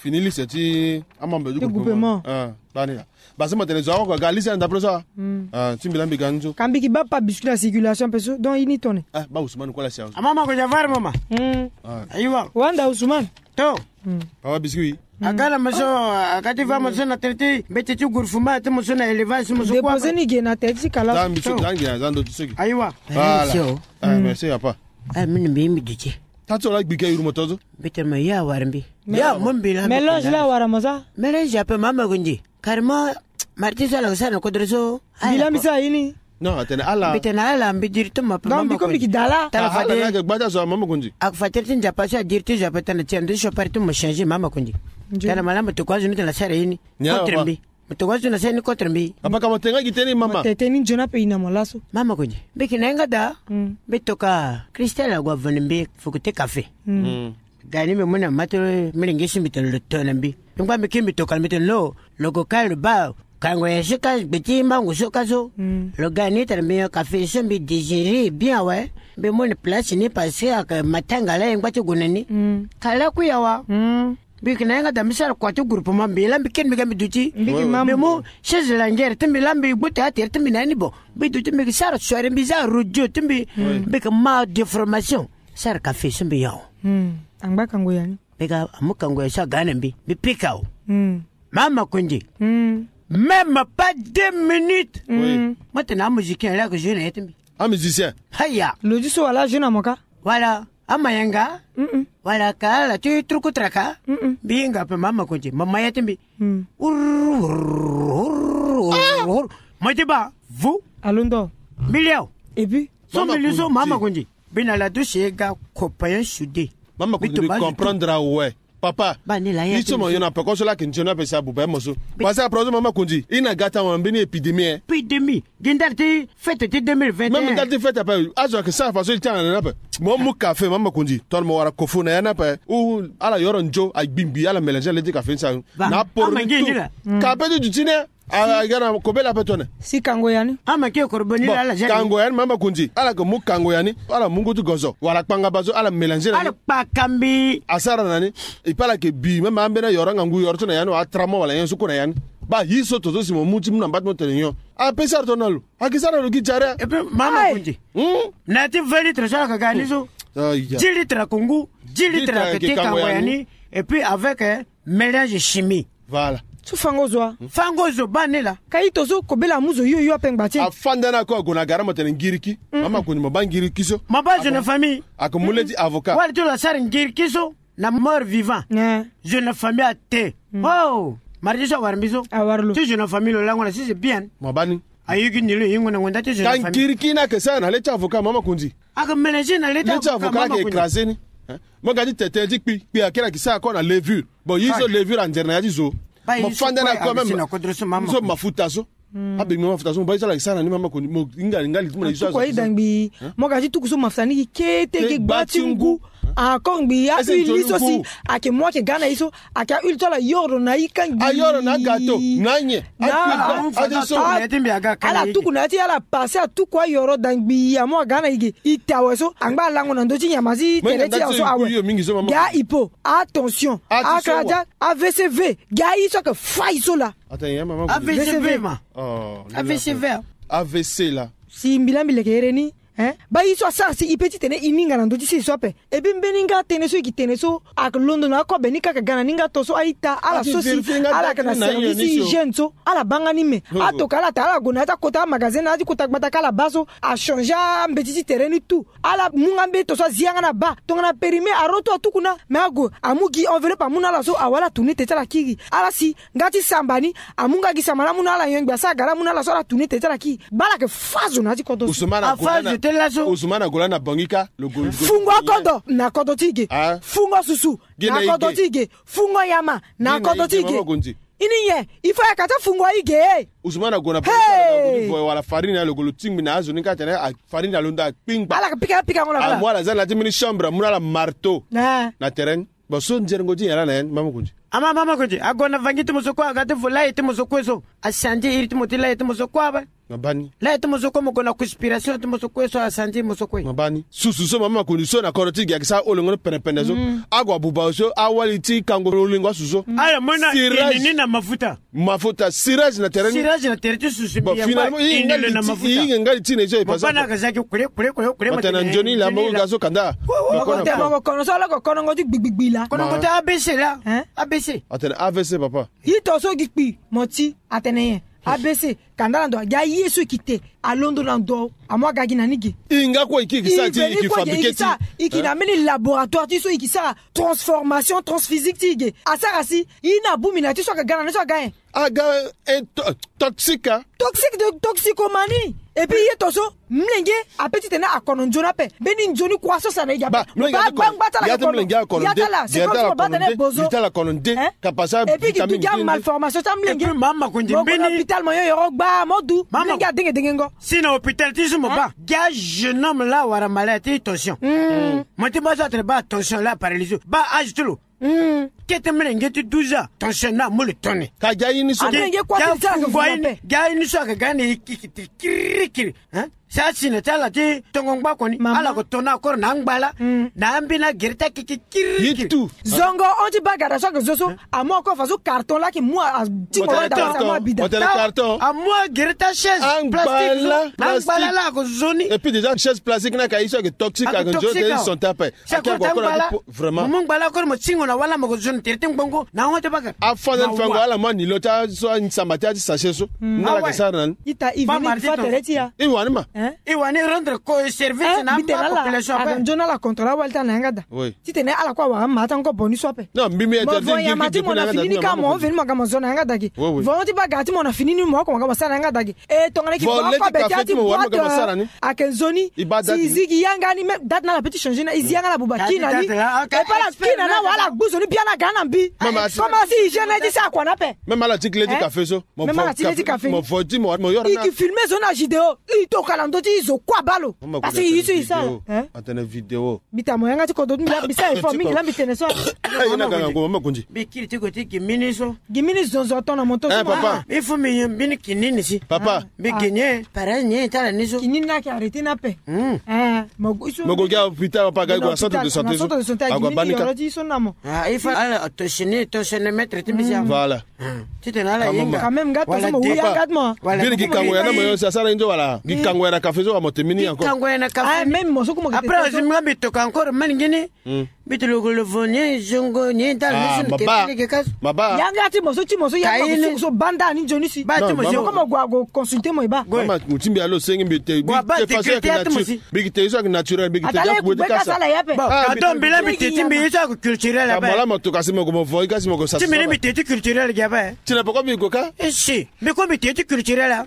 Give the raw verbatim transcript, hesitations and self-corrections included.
Fini liste ti amembre du groupement. Bani la. Base ma tene zo awa kua ga liste na ndapre so. Ti mbi la mbi ga ni so. Kambi ki ba pa biscuit na circulation pe so donc ini tone. Ba Ousmane kua la sia. Amama ko javar mama. Aiwa. Wanda Ousmane. To. Papa biscuit. Agala moso. Akati va moso na traité mbete ti gourfement ti moso na élevage moso kua. Dépose ni ge na tete ti kala. Za mbi so za ngi na za ndo ti so gi. Aiwa. Voilà. Merci papa. Mini mbi mbi duti. Tati so la gbike yuru moto zo. Mbete ma ya wara mbi. Ya mo mbi la mélange la wara mo za. Mélange ape mama ko ndi. Carrément. Marti so ala ko sara na kodro so. Mbi la mbi sara ini. Non atene ala. Mbi tene ala mbi diri ti mo ape mama ko ndi. Tala fade. Ala na ke gbata so mama ko ndi. Ak fatir ti nzapa so adiri ti zo ape tana ti ando ti chopari ti mo changer mama ko ndi. Tala malamu toko azo ni tena sara ini. Contre mbi. Mo toko azo na sara ni contre mbi. Apaka mo tenga gi teni mama. Mo tete ni nzoni ape ina mo laso. Mama ko ndi. Mbi ki na ye nga da. Mbi toka Christelle ague avoni mbi fuku ti kafe. Gani mbi mu na ma ti milenge si mbi tene lo to na mbi. Mbi ngba mbi ki mbi toka mbi tene lo. Lo ko ka lo ba kango ya so ka gbe ti mango so ka so. Lo ga ni tene mbi nyon kafe so mbi digérer bien awe. Mbi mu na place ni parce que ake matanga la ye ngba ti gue na ni. Ka lakui awa. Mbi yeke na yanga da mbi sara kua ti groupement mbi la mbi kiri mbi ga mbi duti. Mbi mu chaise lingère ti mbi la mbi gbu théâtre ti mbi na ya ni bon. Mbi duti mbi yeke sara soirée mbi za radio ti mbi. Mbi yeke ma déformation. Sara kafe so mbi yao. Angba kango ya ni. Mbi ga amu kango ya so aga na mbi mbi pika o. Mama kundi. Même pas deux minutes. Mo tene amusicien la yeke joué na ya ti mbi. Amusicien. Haya. Lo ti so wala ajoué na mo ka. Wala amayanga. Wala ka ala ti truku traka. Mbi hinga ape mama konti mama ya ti mbi. Mo ti ba vu. Alondo. Mbi liao. Et puis. So mbi li so mama konti. Mbi na la douche ye ga. Copain soudé. Mama konti mbi comprendre awe. Papa. Ba ni la ya ti so mo yo na peko so la ke nzoni ape sa buba mo so. Parce que après mama konti ina gata mo mbeni épidémie. Épidémie. Gi ndali ti fête ti deux mille vingt et un. Même ndali ti fête ape azo ayeke sara façon ti tanga na ni ape. Mo mu kafe mama konzi tongana mo wara kofu na ya ni ape. Ou ala yoro nzo agbingbi ala mélange na le ti kafe ni sa. Na aporo ni tu. Ka ape ti duti ni. Aga na kobela ape tone. Si kango ya ni. Ama ke koroboni la ala jani. Kango ya ni mama konzi ala yeke mu kango ya ni. Ala mu ngu ti gozo wala kpangaba so ala mélange na ni. Ala kpaka mbi. Asara na ni. Epi ala yeke bi même ambeni ayoro angangu yoro so na ya ni wala atramo wala nyen so kue na ya ni. Ba yi so to so si mo mu ti mu na mba ti mo tene nyon. Ape sara tongana lo. Ake sara lo gi jare. Epe mama konzi. Na ya ti vingt litres so ala ka ga ni so. Dix litres ako ngu. Dix litres ake te kango ya ni. Epi avec mélange chimie. Voilà. So fango zo wa. Fango zo ba ni la. Ka ito so kobela amu zo yo yo ape ngba ti e. Afanda ni ako ague na gara mo tene ngiriki. Mama konzi mo ba ngiriki so. Mo ba zo na famille. Ake mu le ti avocat. Wala ti lo asara ngiriki so. Na mort vivant. Zo na famille ate. Oh. Mardi so awara mbi so. Awara lo ti zo na famille lo lango na si c'est bien. Mo ba ni. Ayogi ni lo yingo na ngonda ti zo na famille. Ka ngiriki ni ake sara na le ti avocat mama konzi. Ake mélanger na le ti avocat mama konzi. Écraser ni. Mo ga ti tete ti kpi kpi akiri ake sara ko na levure. Bon yi so levure anzere na ya ti zo. Mo fanda na ko même so mafuta so. Abengbi mafuta so mo ba yi so ala ke sara na ni mama konzi mo hinga hinga li ti mo na yi so. Tuku ayi da ngbii. Mo ga ti tuku so mafuta ni gi kete gi gba ti ngu. Ako ngbii ahuile ni so si ake mo ake ga na yi so. Ake ahuile so ala yoro na yi ka ngbii. Ayoro na agato na nyen. Ala tuku na ya ti ala passe atuku ayoro da ngbii amo aga na yi ge. Ite awe so angba alango na ndö ti nyama ti tere ti awe so awe. Ga hypo. Attention. Akara ti avcv. Ga ayi so ake fai so la. Avcv ma. Avcv ma. Avcv la. Si mbi la mbi leke here ni. Ba yi so asara si i pe ti tene i ninga na ndö ti sese so ape. Epi mbeni nga tënë so i ke tene so ake londo na akobe ni kaka ga na ni nga to so a-ita ala so si ala yeke na service hygiène so ala baa nga ni me. Atoka ala ta ala gue na ya ti akota amagasin na ya ti kota gbata ka ala baa so. Achangé ambeti ti tere ni tout. Ala mu nga mbeni to so azi yanga na baa tongana périme aro tout atuku na. Me ague amu gi enveloppe amu na ala so awe ala tourne tete ala kiri ala si. Nga ti samba ni amu nga gi samba ni amu na ala yongbi asara gala amu na ala so ala tourne tete ala kiri. Baa ala yeke fâ zo na ya ti kodro so. Usumana ago lani na bongi ka. Fungo akodro na kodro ti ge. Fungo susu na kodro ti ge. Fungo yama na kodro ti ge. Ini nyen il faut ayaka ti afungo ayi ge. Usumana ago na bongi ka na kodro ti voye wala farine alo golo tingbi na azo ni ka tene. Farine alo nda akpingba ala yeke pika pikango na ala mu ala za na ya ti mbeni chambre amu na ala marteau. Na terrain ni. Bon so nzerengo ti nyen laa na ya ni mama konzi. Ama mama konzi ago na vangi ti mo so kue aga ti vo laye ti mo so kue so. Asi andi iri ti mo ti laye ti mo so kue ape. Mabani. La ye ti mo so kue mo gue na conspiration ti mo so kue so asandi mo so kue. Mabani. Susu so mama makonzi so na kodro ti gi ayeke sara olongo ni pendepende so. Ague abuba so awali ti kango lolingo asu so. Ala mo na ini ni na mafuta. Mafuta cirage na tere ni. Cirage na tere ti susu. Bon, finalement i hinga li ti na mafuta. I hinga li ti na iso e pasa. Bana ka zaki kule kule kule kule. Matana nzoni la mo ga so kanda. Kono so ala ko konongo ti gbigbigbi la. Konongo ti A B C la. A B C. Atene A V C papa. Ito so gi kpi mo ti atene ye. A B C. Kanda na ndo agi aye so e ki te alondo na ndo amu aga gi na ni ge. I nga kue i ki e ki sara ti i ki fabriquer ti i ki na mbeni laboratoire ti so i ki sara transformation transphysique ti i ge. Asara si i na bumi na ti so aga ga na ni so aga ye. Aga. Toxique a. Toxique de toxicomanie. Et puis ye to so mlenge ape titene akono nzoni ape. Mbeni nzoni kua so sa na i ga ape. Ba mlenge ape. Gbangba ti ala. Ya ti mlenge akono nde. Ya ti ala. C'est comme si mo baa tene bozo. Ti ala kono nde. Hein? Kapasa. Et puis ki du ga malformation ti amlenge. Et puis mama kondi mbeni. Mo kono hôpital mo yo yoro gba mo du. Mlenge adenge dengengo. Si na hôpital ti so mo baa. Hein? Ga jeune homme la wara malade ti tension. Mo ti baa so atene baa tension la paralysé. Baa âge ti lo. Kete mlenge ti douze ans tension na amu lo tone. Ka ga ye ni so. Amlenge kua ti zara ke funa pe. Ga ye ni so ake ga ni kikiti kirikiri. Hein? Sa si na ti ala ti tongo ngba koni. Ala ko tona akoro na angbala. Na ambeni agere ti akiki kirikiri. Zongo hon ti baa gada so ake zo so. Amu akoro fa so carton la ake mu a ti mo wanda wasa amu abida. Amu agere ti achaise plastique so. Angbala la ako zo ni. Et puis déjà chaise plastique ni aka ye so ake toxique ake nzoni te ni son ti ape. Si akoro ti angbala. Vraiment. Mo mu ngbala akoro mo tingo na wala mo ko zo na tere ti ngbongo na ahon ti baka. Afâ na ni fango ala mu ani lo ti aso ansamba ti ati sachet so. Ni ala ka sara na ni. Ita i vini fa tere ti ya. I wani ma. I wani rendre ko service na ma population ape. Aka nzoni ala contrôle awali ti ala na yanga daa. Titene ala kue awara ma ti ango boni so ape. Non mbi mbi interdit ngi depuis na yanga daa. Mo veni mo ga mo zo na yanga daa gi. Vo ti baka ti mo na fini ni mo oko mo ga mo sara na yanga daa gi. E tongana ki baa oko abe ti ati boite. Ake nzoni si i zi gi yanga ni même date na ala pe ti changer na i zi yanga na buba kina ni. E pa ala kina na wala gbu zo ni bia na ga na mbi. Comment si i gêne ti sa kua na ape. Même ala ti kile ti café so. Même ala ti kile ti café ni. Mo vo ti mo mo yoro na i ki filmer zo na judéo. I toka na ndö ti zo kua baa lo. Parce que i so i sara. Atene vidéo. Mbi ta mo yanga ti kodro ti mbi la mbi sara effort mingi la mbi tene so. Aye na ganga ngu mama kundi. Mbi kiri ti gue ti gi mini so. Gi mini zonzo ton na moto so. Papa. Il faut mbi yo mbini kinini si. Papa. Mbi gi ni e pareil ni e ti ala ni so. Kinini ni ayeke arrêter ni ape. Mo gue so. Mo gue gi a hôpital papa ga i gue na centre de santé so. Ague abaa ni ka. Ti so na mo. Ah il faut ala tensioni tensiomètre ti mbi si. Voilà. Titene ala hinga. Quand même nga to so mo wu yanga ti mo. Biri gi kango ya na mo yo si asara ni nzo wala gi kango ya na café so wa mo te mini encore. Gi kango ya na café. Ah même mo so ku mo ke te. Après aussi nga mbi toka encore mani ngini. Mbi ti lo ko lo vo ni zongo ni dal ni so ni ke pele ke kas. Maba. Yanga ti mo so ti mo so yanga mo so banda ni nzoni si. Ba ti mo so ko mo gua go consulter mo e ba. Mama mo ti mbi alo sengi mbi te. Mbi te façon ya ke nature. Mbi te so ya ke naturel mbi te ya ku bwe ti kasa. Bon, ado mbi la mbi te ti mbi so ya ke culturel ape. Mo la mo toka si mo ko mo vo i kasi mo ko sa. Ti mbi ni mbi te ti culturel gi ape. Ti na poko mbi ko ka. Eh si. Mbi ko mbi te ti culturel a.